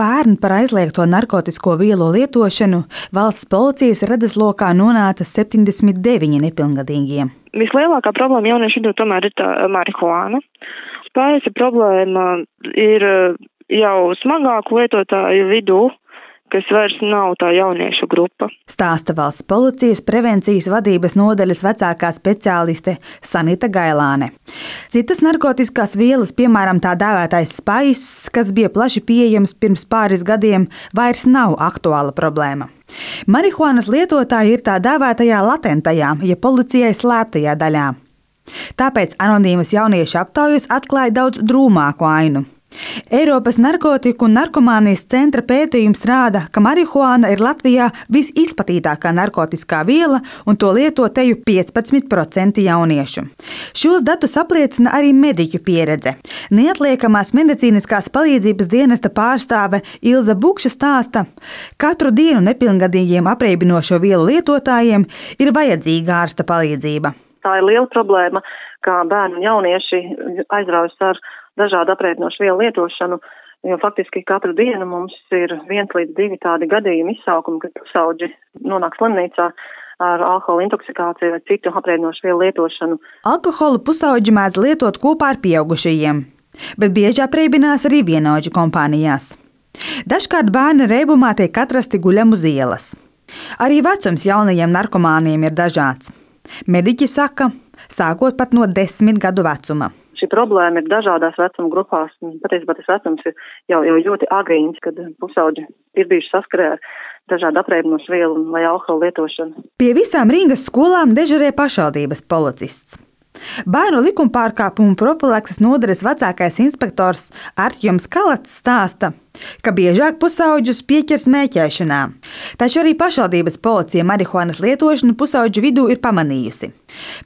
Pērn par aizliegto narkotisko vielu lietošanu valsts policijas redzeslokā nonāca 79 nepilngadīgie. Vislielākā problēma jauniešu vidū tomēr ir tā marihuāna. Spējas problēma ir jau smagāku lietotāju vidū, kas vairs nav tā jauniešu grupa. Stāsta valsts policijas prevencijas vadības nodaļas vecākā speciāliste Sanita Gailāne. Citas narkotiskās vielas, piemēram tā dēvētais spaiss, kas bija plaši pieejams pirms pāris gadiem, vairs nav aktuāla problēma. Marihuānas lietotāji ir tā dēvētajā latentajā, ja policijai slēptajā daļā. Tāpēc anonīmas jauniešu aptaujas atklāja daudz drūmāku ainu. Eiropas narkotiku un narkomānijas centra pētījums rāda, ka marihuāna ir Latvijā visizplatītākā narkotiskā viela un to lieto teju 15% jauniešu. Šos datus apliecina arī mediķu pieredze. Neatliekamās medicīniskās palīdzības dienesta pārstāve Ilze Bukša stāsta, katru dienu nepilngadīgiem apreibinošo vielu lietotājiem ir vajadzīga ārsta palīdzība. Tā ir liela problēma, kā bērni un jaunieši aizraujas ar dažādu apreibinošu vielu lietošanu, jo faktiski katru dienu mums ir 1 līdz 2 tādi gadījumi izsaukumi, kad pusauģi nonāk slimnīcā ar alkohola intoksikāciju vai citu apreibinošu vielu lietošanu. Alkoholu pusauģi mēdz lietot kopā ar pieaugušajiem, bet bieži apreibinās arī vienaudžu kompānijās. Dažkārt bērni reibumā tiek atrasti guļam uz ielas. Arī vecums jaunajiem narkomāniem ir dažāds. Mediķi saka, sākot pat no 10 gadu vecuma. Šī problēma ir dažādās vecuma grupās. Patiesībā tas vecums ir jau ļoti agrīns, kad pusauģi ir bijuši saskarē ar dažādu apreibinošu vielu vai alkohola lietošanu. Pie visām Rīgas skolām dežurē pašvaldības policists. Bērnu likumpārkāpumu profilakses nodaļas vecākais inspektors Artjoms Kalats stāsta, ka biežāk pusauģus pieķer smēķēšanā. Taču arī pašvaldības policija marihuānas lietošanu pusauģu vidū ir pamanījusi.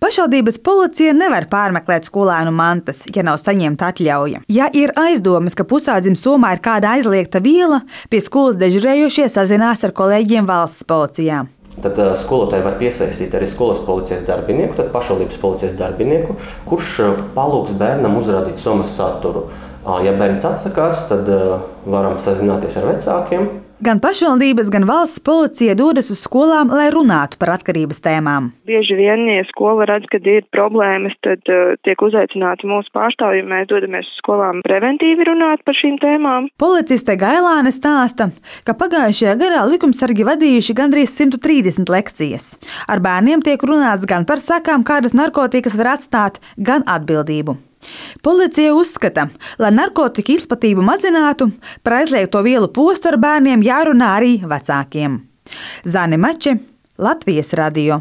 Pašvaldības policija nevar pārmeklēt skolēnu mantas, ja nav saņemta atļauja. Ja ir aizdomas, ka pusaudzim somā ir kāda aizliegta viela, pie skolas dežurējošie sazinās ar kolēģiem valsts policijā. Tad skolotāji var piesaistīt arī skolas policijas darbinieku, tad pašvaldības policijas darbinieku, kurš palūgs bērnam uzrādīt somas saturu. Ja bērns atsakās, tad varam sazināties ar vecākiem. Gan pašvaldības, gan valsts policija dodas uz skolām, lai runātu par atkarības tēmām. Bieži vien, ja skola redz, ka ir problēmas, tad tiek uzaicināti mūsu pārstāvji, mēs dodamies uz skolām preventīvi runāt par šīm tēmām. Policiste Gailāne stāsta, ka pagājušajā gadā likumsargi vadījuši gandrīz 130 lekcijas. Ar bērniem tiek runāts gan par sekām, kādas narkotikas var atstāt, gan atbildību. Policija uzskata, lai narkotika izplatību mazinātu, par aizliegto vielu postu ar bērniem jārunā arī vecākiem. Zane Mače, Latvijas radio.